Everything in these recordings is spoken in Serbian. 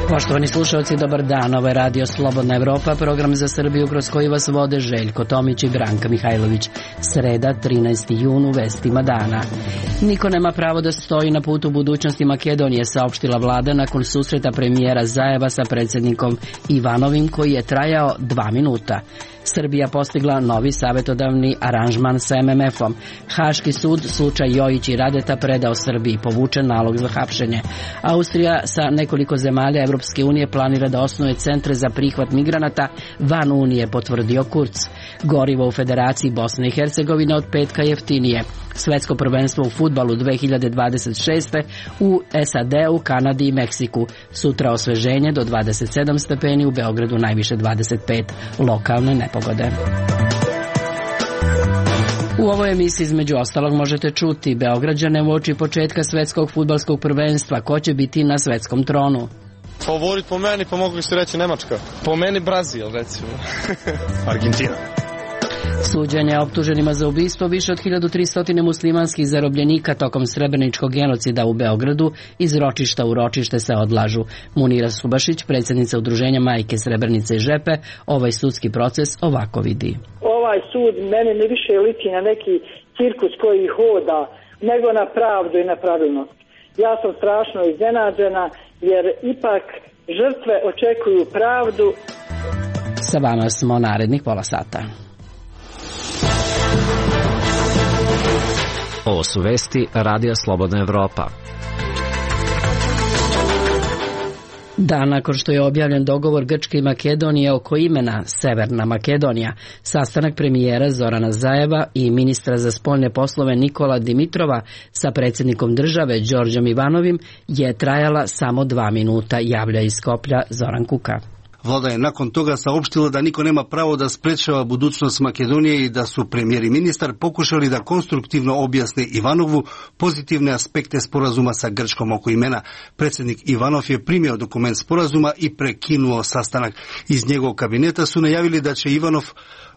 Poštovani slušalci, dobar dan. Ovo je Radio Slobodna Evropa, program za Srbiju kroz koji vas vode Željko Tomić i Branka Mihajlović. Sreda, 13. jun, u vestima dana. Niko nema pravo da stoji na putu budućnosti Makedonije, saopštila vlada nakon susreta premijera Zajeva sa predsjednikom Ivanovim, koji je trajao 2 minuta. Srbija postigla novi savjetodavni aranžman sa MMF-om. Haški sud slučaj Jojić i Radeta predao Srbiji, povučen nalog za hapšenje. Austrija sa nekoliko zemalja Evropske unije planira da osnuje centre za prihvat migranata van Unije, potvrdio Kurz. Gorivo u Federaciji Bosne i Hercegovine od petka jeftinije. Svetsko prvenstvo u fudbalu 2026. u SAD-u, Kanadi i Meksiku. Sutra osveženje do 27 stepeni, u Beogradu najviše 25, lokalne nepogode. U ovoj emisiji između ostalog možete čuti Beograđane uoči početka svetskog fudbalskog prvenstva. Ko će biti na svetskom tronu? Favorit po meni, pa mogu se reći Nemačka. Po meni Brazil, recimo. Argentina. Suđenje optuženima za ubistvo više od 1300 muslimanskih zarobljenika tokom srebreničkog genocida u Beogradu iz ročišta u ročište se odlažu. Munira Subašić, predsjednica udruženja Majke Srebrenice i Žepe, ovaj sudski proces ovako vidi. Ovaj sud meni ne više liči na neki cirkus koji hoda, nego na pravdu i na pravilnost. Ja sam strašno iznenađena jer ipak žrtve očekuju pravdu. Sa vama smo narednih pola sata. Ovo su vesti Radija Slobodna Evropa. Dan nakon što je objavljen dogovor Grčke i Makedonije oko imena Severna Makedonija, sastanak premijera Zorana Zajeva i ministra za spoljne poslove Nikola Dimitrova sa predsjednikom države Đorđem Ivanovim je trajala samo 2 minuta, javlja iz Skoplja Zoran Kuka. Vlada je nakon toga saopštila da niko nema pravo da sprečava budućnost Makedonije i da su premijer i ministar pokušali da konstruktivno objasne Ivanovu pozitivne aspekte sporazuma sa Grčkom oko imena. Predsjednik Ivanov je primio dokument sporazuma i prekinuo sastanak. Iz njegovog kabineta su najavili da će Ivanov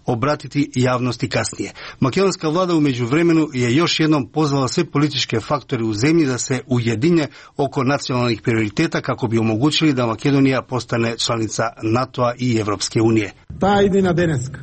obratiti javnosti kasnije. Makedonska vlada u međuvremenu je još jednom pozvala sve političke faktore u zemlji da se ujedinje oko nacionalnih prioriteta kako bi omogućili da Makedonija postane članica NATO-a i Evropske unije. Ta idina deneska,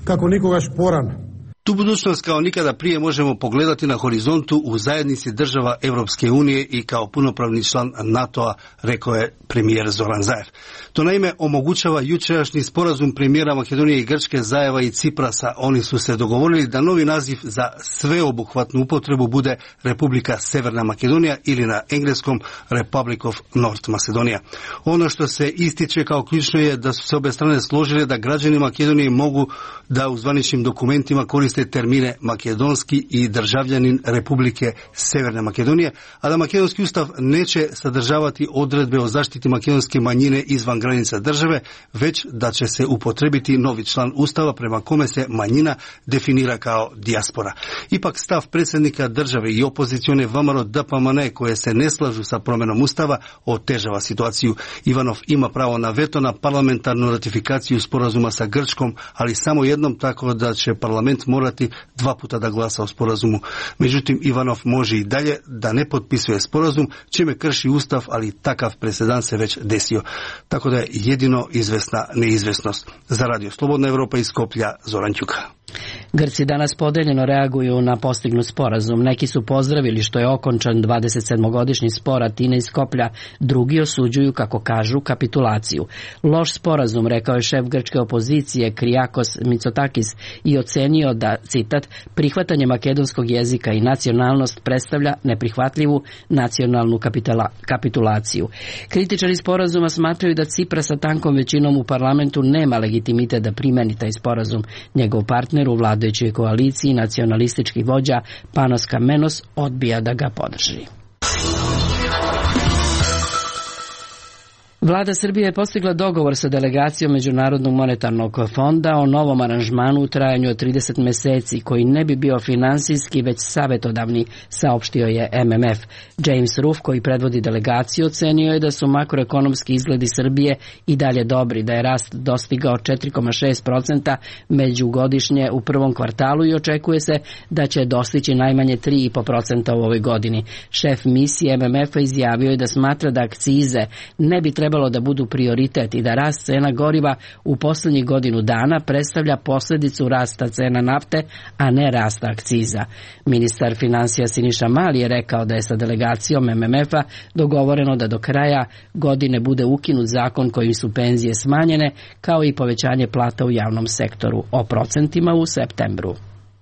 kako nikogaš porana. Tu budućnost kao nikada prije možemo pogledati na horizontu u zajednici država Evropske unije i kao punopravni član NATO-a, rekao je premijer Zoran Zaev. To naime omogućava jučerašnji sporazum premijera Makedonije i Grčke, Zajeva i Ciprasa. Oni su se dogovorili da novi naziv za sveobuhvatnu upotrebu bude Republika Severna Makedonija ili na engleskom Republic of North Macedonia. Ono što se ističe kao ključno je da su se obe strane složile da građani Makedonije mogu da u zvaničnim dokumentima koriste termine makedonski i državljanin Republike Severne Makedonije, a da makedonski ustav neće sadržavati odredbe o zaštiti makedonske manjine izvan granica države, već da će se upotrebiti novi član ustava prema kome se manjina definira kao dijaspora. Ipak stav predsjednika države i opozicione VMRO DPMNE koje se ne slažu sa promjenom ustava otežava situaciju. Ivanov ima pravo na veto na parlamentarnu ratifikaciju sporazuma sa Grčkom, ali samo jednom, tako da će parlament morati 2 puta da glasa o sporazumu. Međutim, Ivanov može i dalje da ne potpisuje sporazum, čime krši ustav, ali takav presedan se već desio. Tako da je jedino izvesna neizvesnost. Za Radio Slobodna Evropa iz Skoplja, Zoran Ćuka. Grci danas podeljeno reaguju na postignut sporazum. Neki su pozdravili što je okončan 27-godišnji spor Atine i Skoplja, drugi osuđuju, kako kažu, kapitulaciju. Loš sporazum, rekao je šef grčke opozicije Kriakos Mitsotakis i ocenio da, citat, prihvatanje makedonskog jezika i nacionalnost predstavlja neprihvatljivu nacionalnu kapitulaciju. Kritičari sporazuma smatraju da Cipras sa tankom većinom u parlamentu nema legitimitet da primeni taj sporazum. Njegov partner u vladajućoj koaliciji, nacionalistički vođa Panos Kamenos, odbija da ga podrži. Vlada Srbije je postigla dogovor sa delegacijom Međunarodnog monetarnog fonda o novom aranžmanu u trajanju od 30 meseci, koji ne bi bio finansijski, već savjetodavni, saopštio je MMF. James Ruff, koji predvodi delegaciju, ocenio je da su makroekonomski izgledi Srbije i dalje dobri, da je rast dostigao 4,6% međugodišnje u prvom kvartalu i očekuje se da će dostići najmanje 3,5% u ovoj godini. Šef misije MMF-a izjavio je da smatra da akcize ne bi trebalo trebalo da budu prioritet i da rast cena goriva u posljednjih godinu dana predstavlja posljedicu rasta cena nafte, a ne rasta akciza. Ministar financija Siniša Mali je rekao da je sa delegacijom MMF-a dogovoreno da do kraja godine bude ukinut zakon kojim su penzije smanjene, kao i povećanje plata u javnom sektoru, o procentima u septembru.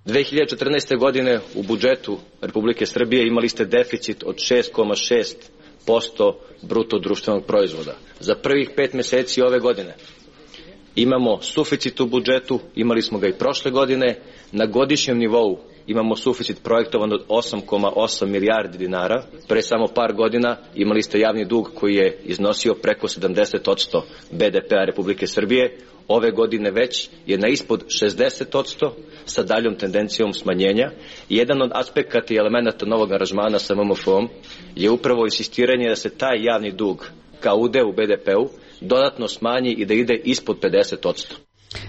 2014. godine u budžetu Republike Srbije imali ste deficit od 6,6% bruto društvenog proizvoda. Za prvih 5 mjeseci ove godine imamo suficit u budžetu, imali smo ga i prošle godine, na godišnjem nivou imamo suficit projektovan od 8,8 milijardi dinara. Pre samo par godina imali ste javni dug koji je iznosio preko 70% BDP-a Republike Srbije. Ove godine već je na ispod 60% sa daljom tendencijom smanjenja. Jedan od aspekata i elemenata novog aranžmana sa MMF-om je upravo insistiranje da se taj javni dug kao udeo u BDP-u dodatno smanji i da ide ispod 50%.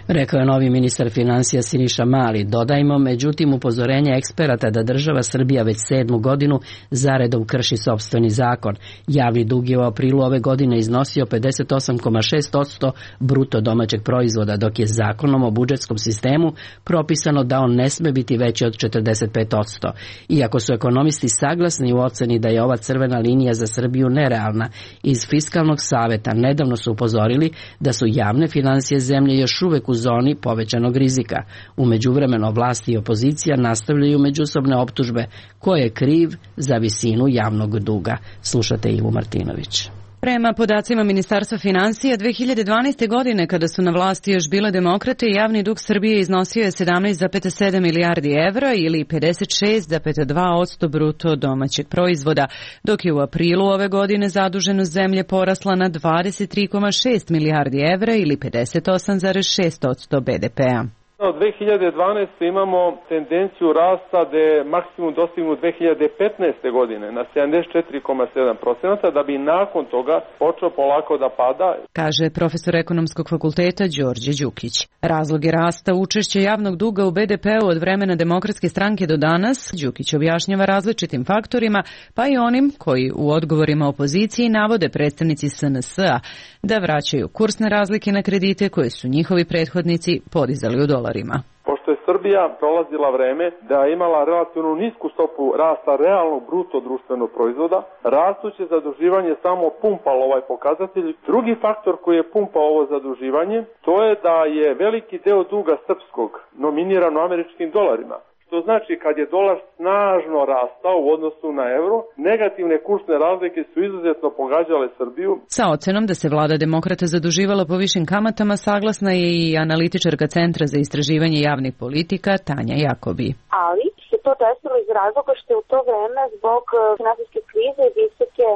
Rekao je novi ministar financija Siniša Mali. Dodajmo, međutim, upozorenje eksperata da država Srbija već 7. godinu zaredom krši sopstveni zakon. Javni dug je u aprilu ove godine iznosio 58,6% bruto domaćeg proizvoda, dok je zakonom o budžetskom sistemu propisano da on ne sme biti veći od 45%. Iako su ekonomisti saglasni u oceni da je ova crvena linija za Srbiju nerealna, iz Fiskalnog saveta nedavno su upozorili da su javne financije zemlje još uvek u zoni povećanog rizika. U međuvremenu vlasti i opozicija nastavljaju međusobne optužbe ko je kriv za visinu javnog duga. Slušate Ivu Martinović. Prema podacima Ministarstva financija, 2012. godine, kada su na vlasti još bile demokrate, javni dug Srbije iznosio je 17,7 milijardi evra ili 56,2% bruto domaćeg proizvoda, dok je u aprilu ove godine zaduženost zemlje porasla na 23,6 milijardi evra ili 58,6% BDP-a. Od 2012. imamo tendenciju rasta da je maksimum dostignut 2015. godine na 74,7%, da bi nakon toga počeo polako da pada, kaže profesor ekonomskog fakulteta Đorđe Đukić. Razlog je rasta učešća javnog duga u BDP-u od vremena Demokratske stranke do danas. Đukić objašnjava različitim faktorima, pa i onim koji u odgovorima opoziciji navode predstavnici SNS-a da vraćaju kursne razlike na kredite koje su njihovi prethodnici podizali u dolarima. Pošto je Srbija prolazila vreme da je imala relativno nisku stopu rasta realnog bruto društvenog proizvoda, rastuće zaduživanje samo pumpalo ovaj pokazatelj. Drugi faktor koji je pumpao ovo zaduživanje, to je da je veliki deo duga srpskog nominiran u američkim dolarima. To znači kad je dolar snažno rastao u odnosu na euro, negativne kursne razlike su izuzetno pogađale Srbiju. Sa ocenom da se vlada demokrata zaduživala po višim kamatama saglasna je i analitičarka Centra za istraživanje javnih politika Tanja Jakobi. Ali se to desilo iz razloga što je u to vreme zbog finansijske krize i visoke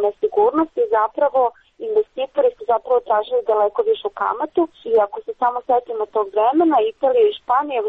nesigurnosti zapravo investitori su zapravo tražili daleko višu kamatu i ako se samo setimo tog vremena, Italija i Španija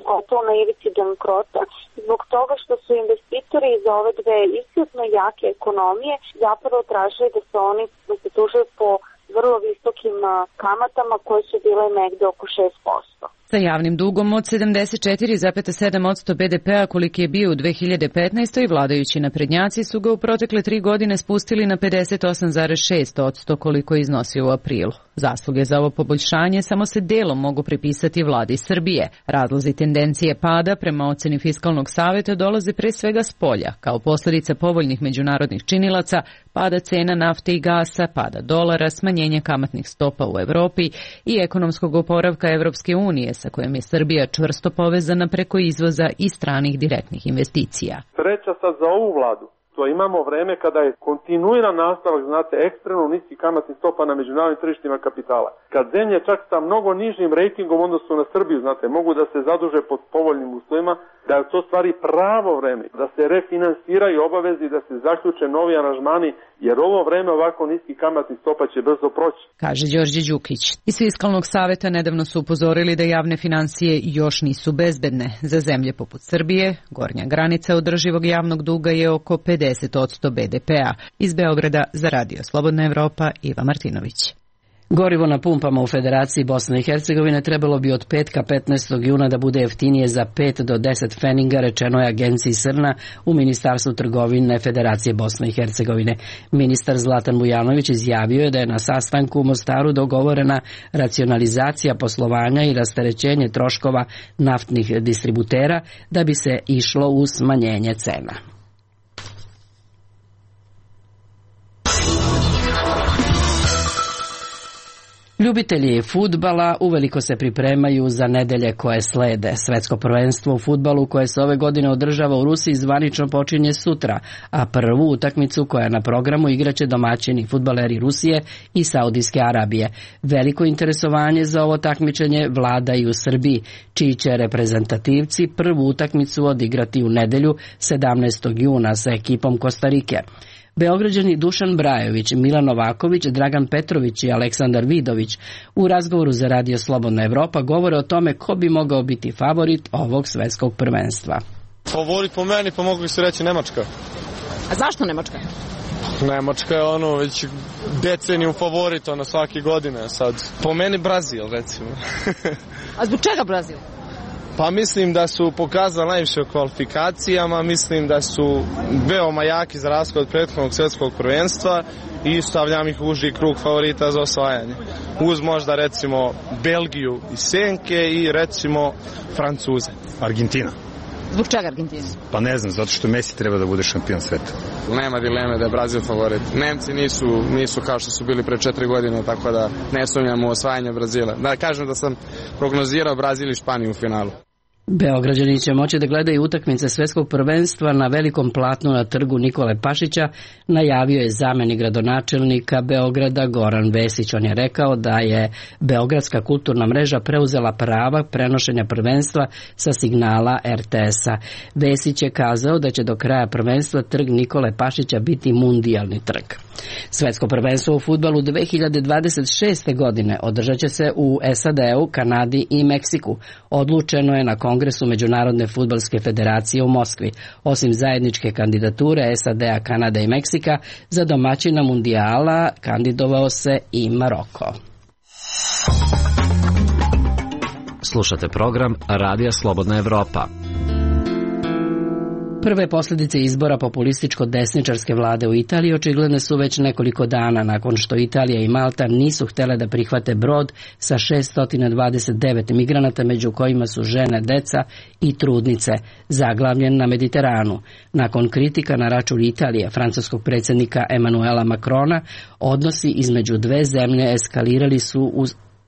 gotovo na ivici bankrota zbog toga što su investitori iz ove dve izuzetno jake ekonomije zapravo tražili da se oni zadužuju po vrlo visokim kamatama koje su bile negde oko 6%. Sa javnim dugom od 74,7% BDP-a koliki je bio u 2015. vladajući naprednjaci su ga u protekle 3 godine spustili na 58,6% koliko je iznosio u aprilu. Zasluge za ovo poboljšanje samo se delom mogu pripisati vladi Srbije. Razlozi tendencije pada prema oceni Fiskalnog saveta dolaze pre svega s polja, kao posljedica povoljnih međunarodnih činilaca, pada cena nafte i gasa, pada dolara, smanjenje kamatnih stopa u Evropi i ekonomskog oporavka Evropske unije sa kojom je Srbija čvrsto povezana preko izvoza i stranih direktnih investicija. Sreća sad za ovu vladu. To imamo vreme kada je kontinuiran nastavak, znate, ekstremno niskih kamatnih stopa na međunarodnim tržištima kapitala. Kad zemlje čak sa mnogo nižim rejtingom odnosu na Srbiju, znate, mogu da se zaduže pod povoljnim uslovima, da je to stvari pravo vreme, da se refinansiraju obavezi, da se zaključe novi aranžmani, jer ovo vreme ovako niskih kamatnih stopa će brzo proći. Kaže Đorđe Đukić. Iz Fiskalnog saveta nedavno su upozorili da javne financije još nisu bezbedne. Za zemlje poput Srbije, gornja granica održivog javnog duga je oko 50% BDP-a. Iz Beograda za Radio Slobodna Evropa, Iva Martinović. Gorivo na pumpama u Federaciji Bosne i Hercegovine trebalo bi od petka 15. juna da bude jeftinije za 5 do 10 pfeninga, rečeno je agenciji Srna u Ministarstvu trgovine Federacije Bosne i Hercegovine. Ministar Zlatan Vujanović izjavio je da je na sastanku u Mostaru dogovorena racionalizacija poslovanja i rasterećenje troškova naftnih distributera da bi se išlo u smanjenje cena. Ljubitelji fudbala uveliko se pripremaju za nedelje koje slede. Svetsko prvenstvo u fudbalu koje se ove godine održava u Rusiji zvanično počinje sutra, a prvu utakmicu koja je na programu igraće domaćini fudbaleri Rusije i Saudijske Arabije. Veliko interesovanje za ovo takmičenje vlada i u Srbiji, čiji će reprezentativci prvu utakmicu odigrati u nedelju 17. juna sa ekipom Kostarike. Beograđani Dušan Brajović, Milan Novaković, Dragan Petrović i Aleksandar Vidović u razgovoru za Radio Slobodna Evropa govore o tome ko bi mogao biti favorit ovog svetskog prvenstva. Favorit po meni, pa mogu se reći Nemačka. A zašto Nemačka? Nemačka je već deceniju favorit, svake godine. Sad, po meni Brazil, recimo. A zbog čega Brazil? Pa mislim da su pokazali najviše u kvalifikacijama, mislim da su veoma jaki za razliku od prethodnog svjetskog prvenstva i stavljam ih u uži krug favorita za osvajanje. Uz možda recimo Belgiju i Senke i recimo Francuze. Argentina. Zbog čega Argentina? Pa ne znam, zato što Messi treba da bude šampion sveta. Nema dileme da je Brazil favorit. Nemci nisu kao što su bili pre 4 godine, tako da ne sumnjam u osvajanje Brazila. Da kažem da sam prognozirao Brazil i Španiju u finalu. Beograđani će moći da gledaju utakmice svetskog prvenstva na velikom platnu na trgu Nikole Pašića, najavio je zamenik gradonačelnika Beograda Goran Vesić. On je rekao da je Beogradska kulturna mreža preuzela prava prenošenja prvenstva sa signala RTS-a. Vesić je kazao da će do kraja prvenstva trg Nikole Pašića biti mundijalni trg. Svetsko prvenstvo u fudbalu 2026. godine održat će se u SAD-u, Kanadi i Meksiku. Odlučeno je na Kongresu Međunarodne fudbalske federacije u Moskvi. Osim zajedničke kandidature SAD-a, Kanade i Meksika, za domaćina mundijala kandidovao se i Maroko. Slušate program Radija Slobodna Evropa. Prve posljedice izbora populističko-desničarske vlade u Italiji očigledne su već nekoliko dana nakon što Italija i Malta nisu htjele da prihvate brod sa 629 migranata, među kojima su žene, deca i trudnice, zaglavljen na Mediteranu. Nakon kritika na račun Italije, francuskog predsjednika Emmanuela Macrona, odnosi između dve zemlje eskalirali su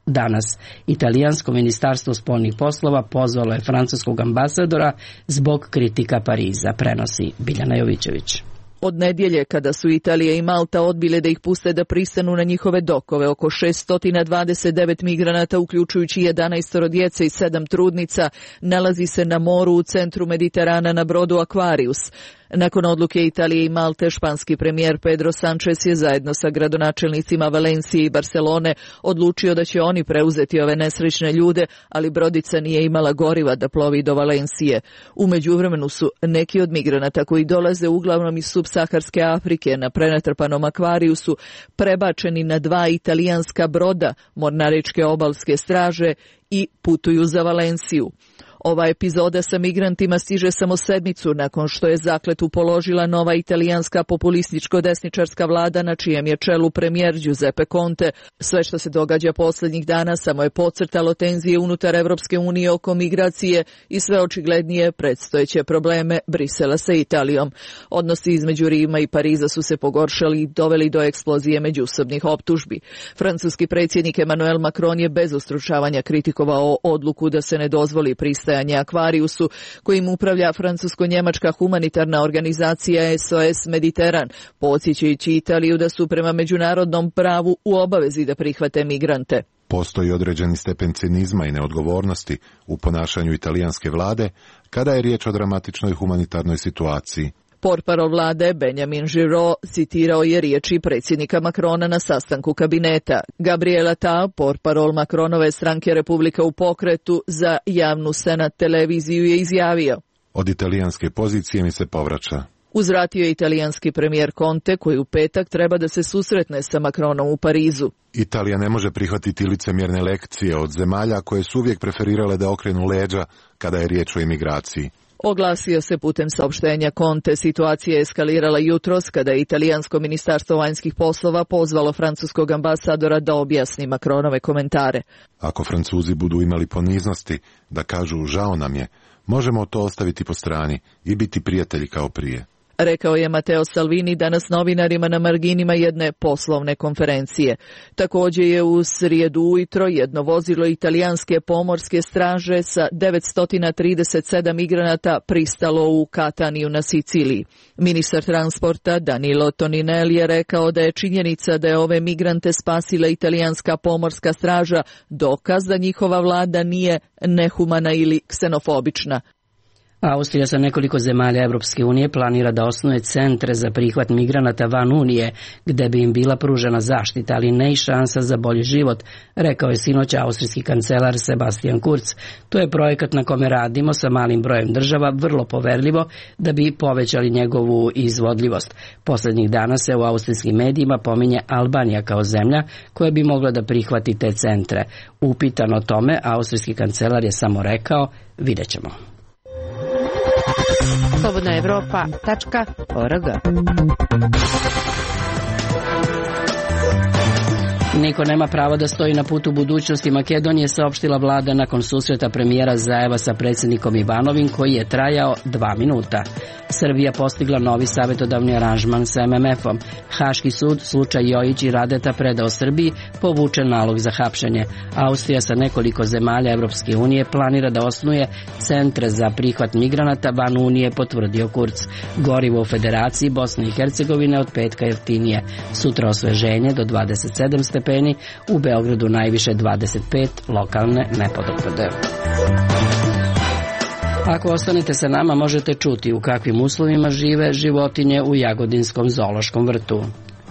danas. Italijansko ministarstvo spoljnih poslova pozvalo je francuskog ambasadora zbog kritika Pariza, prenosi Biljana Jovićević. Od nedjelje, kada su Italija i Malta odbile da ih puste da pristanu na njihove dokove, oko 629 migranata, uključujući 11 djece i 7 trudnica, nalazi se na moru u centru Mediterana na brodu Aquarius. Nakon odluke Italije i Malte, španski premijer Pedro Sánchez je zajedno sa gradonačelnicima Valencije i Barcelone odlučio da će oni preuzeti ove nesrećne ljude, ali brodica nije imala goriva da plovi do Valencije. U međuvremenu su neki od migranata koji dolaze uglavnom iz subsaharske Afrike na prenatrpanom Aquariusu prebačeni na 2 italijanska broda mornaričke obalske straže i putuju za Valenciju. Ova epizoda sa migrantima stiže samo sedmicu nakon što je zakletvu položila nova italijanska populističko-desničarska vlada na čijem je čelu premijer Giuseppe Conte. Sve što se događa posljednjih dana samo je podcrtalo tenzije unutar Evropske unije oko migracije i sve očiglednije predstojeće probleme Brisela sa Italijom. Odnosi između Rima i Pariza su se pogoršali i doveli do eksplozije međusobnih optužbi. Francuski predsjednik Emmanuel Macron je bez ustručavanja kritikovao odluku da se ne dozvoli pristajanje Aquariusu, kojim upravlja francusko-njemačka humanitarna organizacija SOS Mediteran, podsjećajući Italiju da su prema međunarodnom pravu u obavezi da prihvate migrante. Postoji određeni stepen cinizma i neodgovornosti u ponašanju italijanske vlade kada je riječ o dramatičnoj humanitarnoj situaciji. Portparol vlade Benjamin Giraud citirao je riječi predsjednika Macrona na sastanku kabineta. Gabriel Attal, portparol Macronove stranke Republika u pokretu za javnu Senat televiziju, je izjavio: Od italijanske pozicije mi se povraća. Uzvratio je italijanski premijer Conte, koji u petak treba da se susretne sa Macronom u Parizu. Italija ne može prihvatiti licemjerne lekcije od zemalja koje su uvijek preferirale da okrenu leđa kada je riječ o imigraciji. Oglasio se putem saopštenja Conte. Situacija je eskalirala jutros kada je italijansko ministarstvo vanjskih poslova pozvalo francuskog ambasadora da objasni Macronove komentare. Ako Francuzi budu imali poniznosti da kažu žao nam je, možemo to ostaviti po strani i biti prijatelji kao prije. Rekao je Matteo Salvini danas novinarima na marginima jedne poslovne konferencije. Također je u srijedu ujutro jedno vozilo italijanske pomorske straže sa 937 migranata pristalo u Kataniju na Siciliji. Ministar transporta Danilo Toninelli je rekao da je činjenica da je ove migrante spasila italijanska pomorska straža dokaz da njihova vlada nije nehumana ili ksenofobična. Austrija sa nekoliko zemalja Evropske unije planira da osnuje centre za prihvat migranata van Unije, gde bi im bila pružena zaštita, ali ne i šansa za bolji život, rekao je sinoć austrijski kancelar Sebastian Kurz. To je projekat na kome radimo sa malim brojem država, vrlo poverljivo, da bi povećali njegovu izvodljivost. Posljednjih dana se u austrijskim medijima pominje Albanija kao zemlja koja bi mogla da prihvati te centre. Upitan o tome, austrijski kancelar je samo rekao, vidjet ćemo. slobodnaevropa.org. Niko nema pravo da stoji na putu budućnosti Makedonije, saopštila vlada nakon susreta premijera Zajeva sa predsjednikom Ivanovim, koji je trajao 2 minuta. Srbija postigla novi savjetodavni aranžman sa MMF-om. Haški sud slučaj Jojić i Radeta predao Srbiji, povučen nalog za hapšenje. Austrija sa nekoliko zemalja Evropske unije planira da osnuje centre za prihvat migranata van Unije, potvrdio Kurz. Gorivo u Federaciji Bosne i Hercegovine od petka jeftinije. Sutra osveženje do 27 stepeni, u Beogradu najviše 25, lokalne nepodopade. Ako ostanete sa nama, možete čuti u kakvim uslovima žive životinje u Jagodinskom zoološkom vrtu.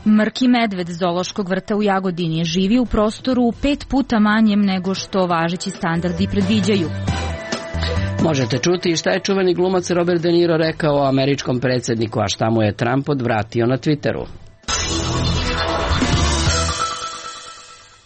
Mrki medved zoološkog vrta u Jagodini živi u prostoru 5 puta manjem nego što važeći standardi predviđaju. Možete čuti šta je čuveni glumac Robert De Niro rekao o američkom predsjedniku, a šta mu je Trump odvratio na Twitteru.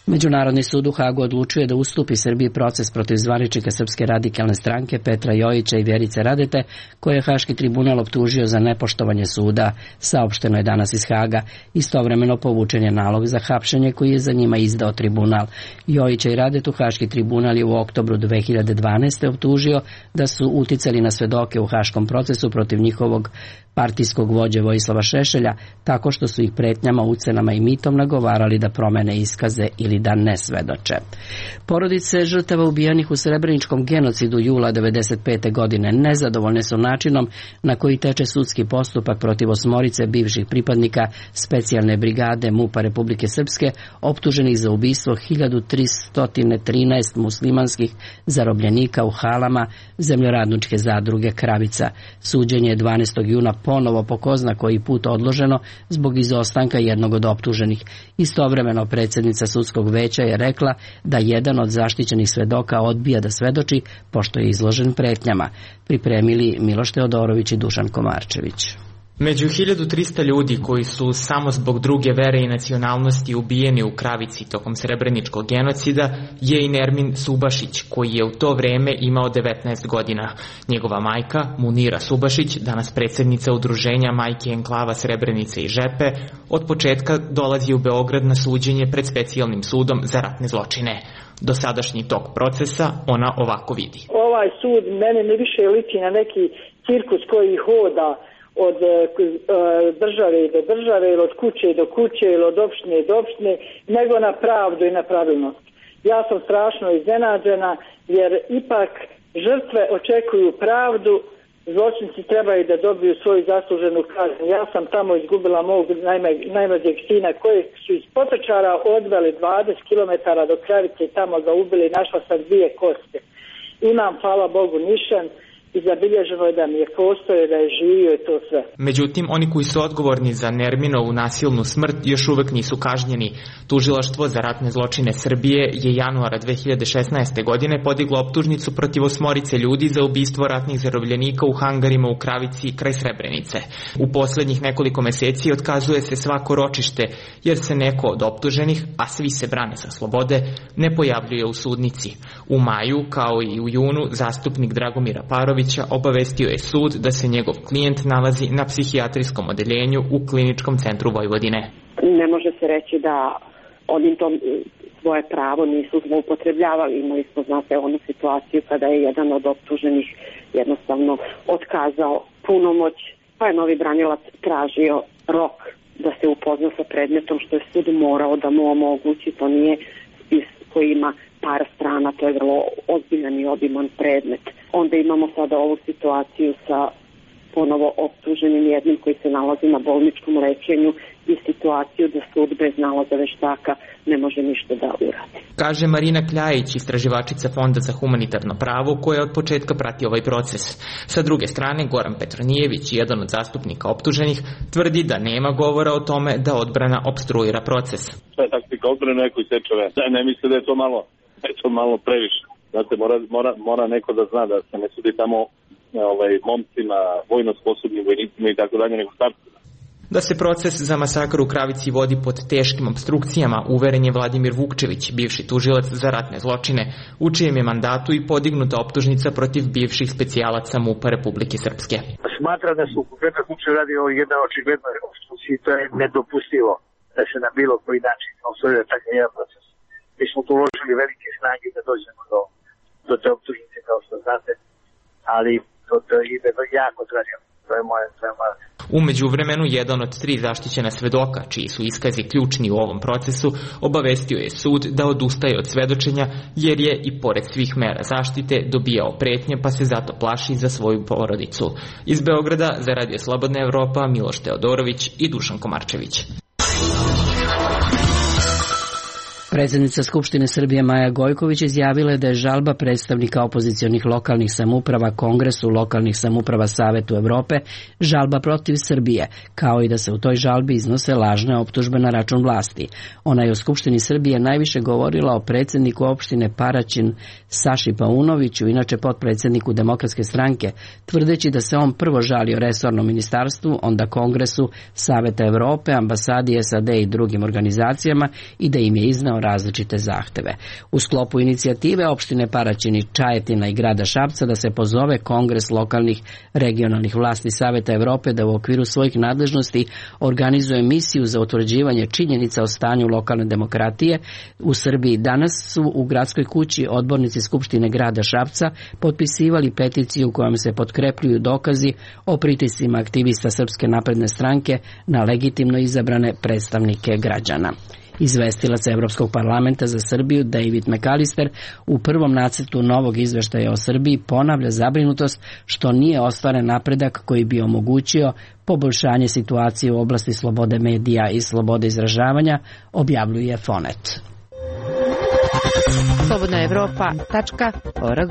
Međunarodni sud u Hagu odlučuje da ustupi Srbiji proces protiv zvaničnika Srpske radikalne stranke Petra Jojića i Vjerice Radete, koje je Haški tribunal optužio za nepoštovanje suda, saopšteno je danas iz Haga. Istovremeno povučen je nalog za hapšenje koji je za njima izdao tribunal. Jojića i Radetu Haški tribunal je u oktobru 2012. optužio da su uticali na svedoke u haškom procesu protiv njihovog partijskog vođe Vojislava Šešelja, tako što su ih pretnjama, ucenama i mitom nagovarali da promene iskaze ili da ne svedoče. Porodice žrtava ubijenih u Srebreničkom genocidu jula 1995. godine nezadovoljne su načinom na koji teče sudski postupak protiv 8 bivših pripadnika specijalne brigade MUP-a Republike Srpske, optuženih za ubistvo 1313 muslimanskih zarobljenika u halama zemljoradničke zadruge Kravica. Suđenje je 12. juna ponovo po ko zna koji put odloženo zbog izostanka jednog od optuženih. Istovremeno predsjednica sudskog veća je rekla da jedan od zaštićenih svedoka odbija da svedoči pošto je izložen pretnjama. Pripremili Miloš Teodorović i Dušan Komarčević. Među 1300 ljudi koji su samo zbog druge vere i nacionalnosti ubijeni u Kravici tokom Srebreničkog genocida je i Nermin Subašić, koji je u to vreme imao 19 godina. Njegova majka, Munira Subašić, danas predsjednica udruženja Majke enklava Srebrenice i Žepe, od početka dolazi u Beograd na suđenje pred specijalnim sudom za ratne zločine. Dosadašnji tok procesa ona ovako vidi. Ovaj sud mene ne više liči na neki cirkus koji hoda od države do države ili od kuće do kuće ili od opštine do opštine, nego na pravdu i na pravilnost. Ja sam strašno iznenađena jer ipak žrtve očekuju pravdu, zločinci trebaju da dobiju svoju zasluženu kaznu. Ja sam tamo izgubila mog najmlađeg sina koji su iz Potočara odveli 20 km do Kravice i tamo ga ubili, našla sam 2 koste. Imam, hvala Bogu, nišan i zabilježeno je da mi je postojao, da je živio i to sve. Međutim, oni koji su odgovorni za Nerminovu nasilnu smrt još uvek nisu kažnjeni. Tužilaštvo za ratne zločine Srbije je januara 2016. godine podiglo optužnicu protiv 8 ljudi za ubistvo ratnih zarobljenika u hangarima u Kravici kraj Srebrenice. U poslednjih nekoliko meseci otkazuje se svako ročište jer se neko od optuženih, a svi se brane sa slobode, ne pojavljuje u sudnici. U maju, kao i u junu, zastupnik Dragomira Parovića obavestio je sud da se njegov klijent nalazi na psihijatrijskom odeljenju u Kliničkom centru Vojvodine. Ne može se reći da oni to svoje pravo nisu zloupotrebljavali. Imali smo, znate, onu situaciju kada je jedan od optuženih jednostavno otkazao punomoć, pa je novi branilac tražio rok da se upozna sa predmetom, što je sud morao da mu omogući. To nije spis koji ima par strana, to je vrlo ozbiljan i obiman predmet. Onda imamo sada ovu situaciju sa ponovo optuženim jednim koji se nalazi na bolničkom lečenju i situaciju da sud bez nalaza veštaka ne može ništa da uradi. Kaže Marina Kljajić, istraživačica Fonda za humanitarno pravo, koja od početka prati ovaj proces. Sa druge strane, Goran Petronijević, jedan od zastupnika optuženih, tvrdi da nema govora o tome da odbrana opstruira proces. To je taktika odbrane, neko isečeve. Ne misle da je to malo previše. Znate, mora neko da zna da se ne sudi tamo momcima, vojno sposobnim vojnicima i tako dalje, nego starcima. Da se proces za masakr u Kravici vodi pod teškim obstrukcijama, uveren je Vladimir Vukčević, bivši tužilac za ratne zločine, u čijem je mandatu i podignuta optužnica protiv bivših specijalaca MUP-a Republike Srpske. Smatra da su u konkretnom slučaju radi o jednoj očiglednoj opstrukciji, to je nedopustivo da se na bilo koji način osvojuje takav jedan proces. Mi smo tu uložili velike snage da dođemo do te optužnice, kao što znate, ali to ide jako traženo. To je moja. U međuvremenu, jedan od 3 zaštićena svedoka, čiji su iskazi ključni u ovom procesu, obavestio je sud da odustaje od svedočenja jer je i pored svih mera zaštite dobijao pretnje, pa se zato plaši za svoju porodicu. Iz Beograda za Radio Slobodna Evropa, Miloš Teodorović i Dušan Komarčević. Predsjednica Skupštine Srbije Maja Gojković izjavila je da je žalba predstavnika opozicionih lokalnih samouprava Kongresu lokalnih samouprava Savetu Evrope žalba protiv Srbije, kao i da se u toj žalbi iznose lažne optužbe na račun vlasti. Ona je u Skupštini Srbije najviše govorila o predsjedniku opštine Paraćin Saši Paunoviću, inače potpredsjedniku Demokratske stranke, tvrdeći da se on prvo žalio resornom ministarstvu, onda Kongresu Saveta Evrope, ambasadi SAD i drugim organizacijama i da im je iznao različite zahteve. U sklopu inicijative opštine Paraćin, Čajetina i grada Šapca da se pozove Kongres lokalnih regionalnih vlasti Saveta Evrope da u okviru svojih nadležnosti organizuje misiju za utvrđivanje činjenica o stanju lokalne demokratije u Srbiji. Danas su u gradskoj kući odbornici Skupštine grada Šapca potpisivali peticiju kojom se potkrepljuju dokazi o pritiscima aktivista Srpske napredne stranke na legitimno izabrane predstavnike građana. Izvestilac Evropskog parlamenta za Srbiju David McAllister u prvom nacrtu novog izveštaja o Srbiji ponavlja zabrinutost što nije ostvaren napredak koji bi omogućio poboljšanje situacije u oblasti slobode medija i slobode izražavanja, objavljuje Fonet. slobodnaevropa.org.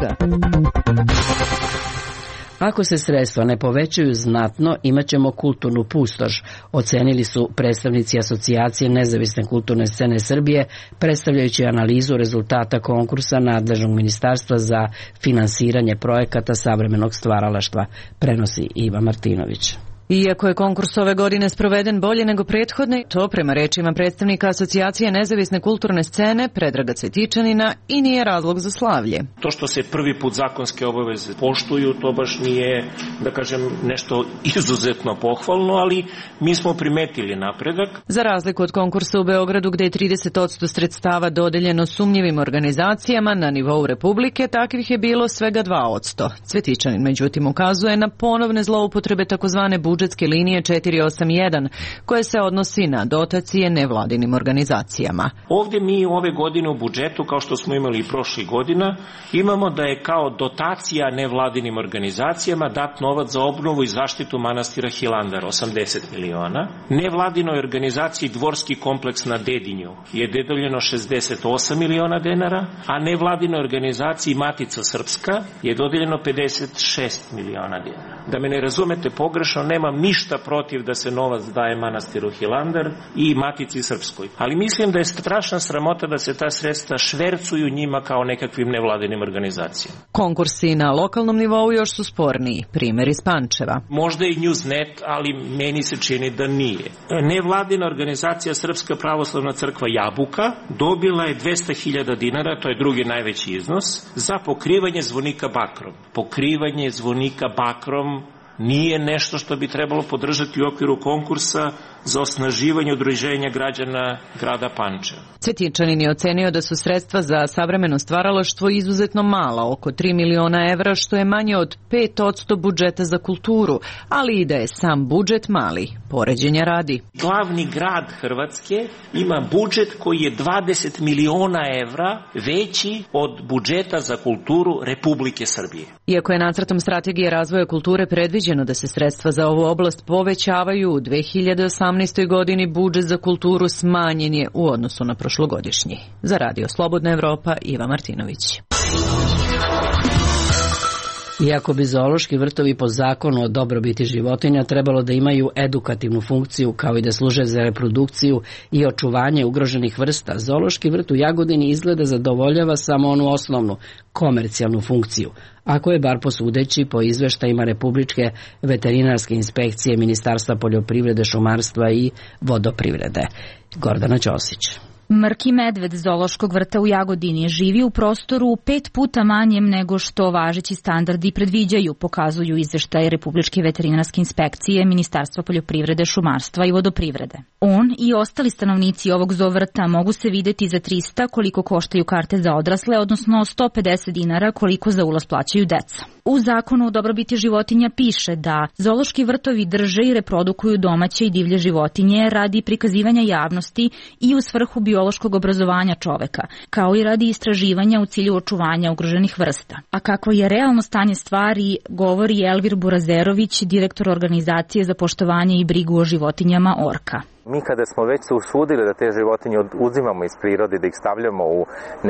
Ako se sredstva ne povećaju znatno, imat ćemo kulturnu pustoš, ocenili su predstavnici Asocijacije nezavisne kulturne scene Srbije, predstavljajući analizu rezultata konkursa nadležnog ministarstva za finansiranje projekata savremenog stvaralaštva, prenosi Iva Martinović. Iako je konkurs ove godine sproveden bolje nego prethodne, to prema rečima predstavnika Asocijacije nezavisne kulturne scene Predraga Cvetičanina i nije razlog za slavlje. To što se prvi put zakonske obaveze poštuju, to baš nije, da kažem, nešto izuzetno pohvalno, ali mi smo primetili napredak. Za razliku od konkursa u Beogradu gde je 30% sredstava dodeljeno sumnjivim organizacijama, na nivou Republike takvih je bilo svega 2%. Cvetičanin međutim ukazuje na ponovne zloupotrebe takozvane budžetske budžetske linije 481, koje se odnosi na dotacije nevladinim organizacijama. Ovdje mi ove godine u budžetu, kao što smo imali i prošlih godina, imamo da je kao dotacija nevladinim organizacijama dat novac za obnovu i zaštitu manastira Hilandar, 80 miliona. Nevladinoj organizaciji Dvorski kompleks na Dedinju je dodeljeno 68 miliona dinara, a nevladinoj organizaciji Matica Srpska je dodeljeno 56 miliona dinara. Da me ne razumete pogrešno, nemam ništa protiv da se novac daje manastiru Hilandar i Matici Srpskoj. Ali mislim da je strašna sramota da se ta sredstva švercuju njima kao nekakvim nevladinim organizacijama. Konkursi na lokalnom nivou još su sporniji, primjer iz Pančeva. Možda i Newsnet, ali meni se čini da nije. Nevladina organizacija Srpska pravoslavna crkva Jabuka dobila je 200.000 dinara, to je drugi najveći iznos, za pokrivanje zvonika bakrom. Pokrivanje zvonika bakrom nije nešto što bi trebalo podržati u okviru konkursa za osnaživanje udruženja građana grada Pančeva. Cvetičanin je ocenio da su sredstva za savremeno stvaralaštvo izuzetno mala, oko 3 miliona evra, što je manje od 5% budžeta za kulturu, ali i da je sam budžet mali. Poređenja radi. Glavni grad Hrvatske ima budžet koji je 20 miliona evra veći od budžeta za kulturu Republike Srbije. Iako je nacrtom strategije razvoja kulture predviđeno da se sredstva za ovu oblast povećavaju, u 2018. godini budžet za kulturu smanjen je u odnosu na prošlogodišnji. Za Radio Slobodna Evropa, Iva Martinović. Iako bi zoološki vrtovi po zakonu o dobrobiti životinja trebalo da imaju edukativnu funkciju kao i da služe za reprodukciju i očuvanje ugroženih vrsta, zoološki vrt u Jagodini izgleda zadovoljava samo onu osnovnu, komercijalnu funkciju, ako je bar posudeći po izveštajima Republičke veterinarske inspekcije Ministarstva poljoprivrede, šumarstva i vodoprivrede. Gordana Ćosić. Mrki medved zoološkog vrta u Jagodini živi u prostoru 5 puta manjem nego što važeći standardi predviđaju, pokazuju izveštaje Republičke veterinarske inspekcije Ministarstva poljoprivrede, šumarstva i vodoprivrede. On i ostali stanovnici ovog zoovrta mogu se videti za 300 koliko koštaju karte za odrasle, odnosno 150 dinara koliko za ulaz plaćaju deca. U zakonu o dobrobiti životinja piše da zoološki vrtovi drže i reprodukuju domaće i divlje životinje radi prikazivanja javnosti i u svrhu biološkog obrazovanja čoveka, kao i radi istraživanja u cilju očuvanja ugroženih vrsta. A kako je realno stanje stvari, govori Elvir Burazerović, direktor organizacije za poštovanje i brigu o životinjama Orka. Mi kada smo već se usudili da te životinje uzimamo iz prirode, da ih stavljamo u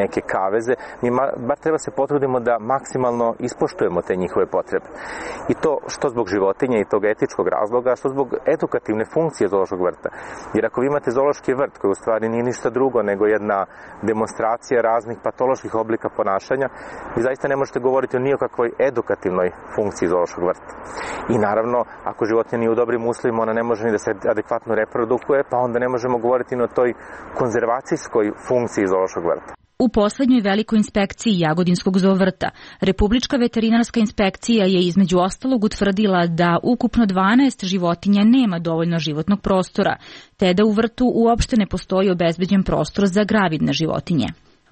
neke kaveze, mi bar treba se potrudimo da maksimalno ispoštujemo te njihove potrebe. I to što zbog životinja i tog etičkog razloga, što zbog edukativne funkcije zoološkog vrta. Jer ako vi imate zoološki vrt koji u stvari nije ništa drugo nego jedna demonstracija raznih patoloških oblika ponašanja, vi zaista ne možete govoriti o nijekakvoj edukativnoj funkciji zoološkog vrta. I naravno, ako životinja nije u dobrim uslovima, ona ne može ni da se adekvatno reprodukuje, pa onda ne možemo govoriti o toj konzervacijskoj funkciji zoološkog vrta. U poslednjoj velikoj inspekciji Jagodinskog zoovrta, Republička veterinarska inspekcija je između ostalog utvrdila da ukupno 12 životinja nema dovoljno životnog prostora, te da u vrtu uopšte ne postoji obezbeđen prostor za gravidne životinje.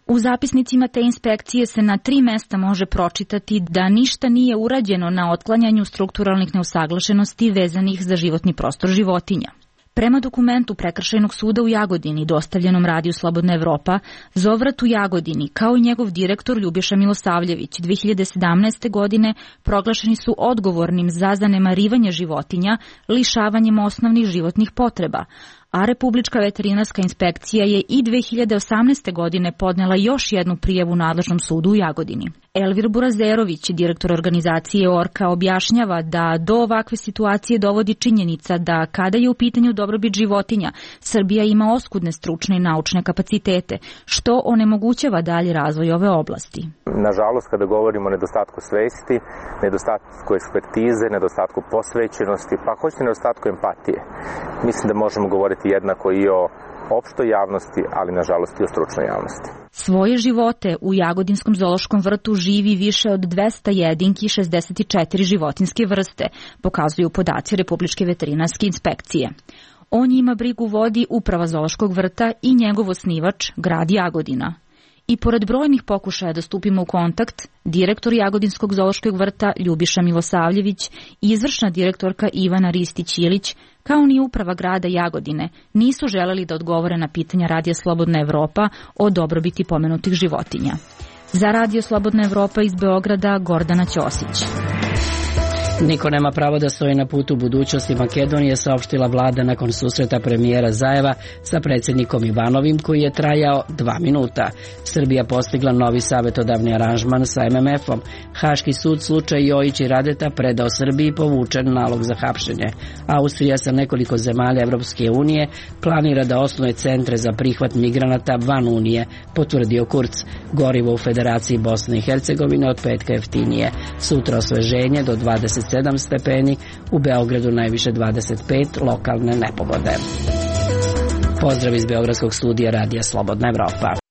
U zapisnicima te inspekcije se na 3 mesta može pročitati da ništa nije urađeno na otklanjanju strukturalnih neusaglašenosti vezanih za životni prostor životinja. Prema dokumentu Prekršajnog suda u Jagodini, dostavljenom Radiju Slobodna Evropa, zoovrt u Jagodini, kao i njegov direktor Ljubiša Milosavljević, 2017. godine proglašeni su odgovornim za zanemarivanje životinja, lišavanjem osnovnih životnih potreba, a Republička veterinarska inspekcija je i 2018. godine podnela još jednu prijavu nadležnom sudu u Jagodini. Elvir Burazerović, direktor organizacije Orka, objašnjava da do ovakve situacije dovodi činjenica da kada je u pitanju dobrobit životinja, Srbija ima oskudne stručne i naučne kapacitete, što onemogućava dalji razvoj ove oblasti. Nažalost, kada govorimo o nedostatku svesti, nedostatku ekspertize, nedostatku posvećenosti, pa hoćete nedostatku empatije, mislim da možemo govoriti jednako i o opštoj javnosti, ali nažalost i o stručnoj javnosti. Svoje živote u Jagodinskom zoološkom vrtu živi više od 200 jedinki i 64 životinske vrste, pokazuju podaci Republičke veterinarske inspekcije. O njima brigu vodi Uprava zoološkog vrta i njegov osnivač, grad Jagodina. I pored brojnih pokušaja da stupimo u kontakt, direktor Jagodinskog zoološkog vrta Ljubiša Milosavljević i izvršna direktorka Ivana Ristić-Ilić, kao ni uprava grada Jagodine, nisu želeli da odgovore na pitanja Radija Slobodna Evropa o dobrobiti pomenutih životinja. Za Radio Slobodna Evropa iz Beograda, Gordana Ćosić. Niko nema pravo da stoji na putu budućnosti Makedonije, saopštila vlada nakon susreta premijera Zajeva sa predsjednikom Ivanovim, koji je trajao 2 minuta. Srbija postigla novi savjetodavni aranžman sa MMF-om. Haški sud slučaj Jojić i Radeta predao Srbiji povučen nalog za hapšenje. Austrija sa nekoliko zemalja Evropske unije planira da osnuje centre za prihvat migranata van Unije, potvrdio Kurz. Gorivo u Federaciji Bosne i Hercegovine od petka jeftinije. Sutra osveženje do 27 stepeni, u Beogradu najviše 25, lokalne nepogode. Pozdrav iz Beogradskog studija Radija Slobodna Evropa.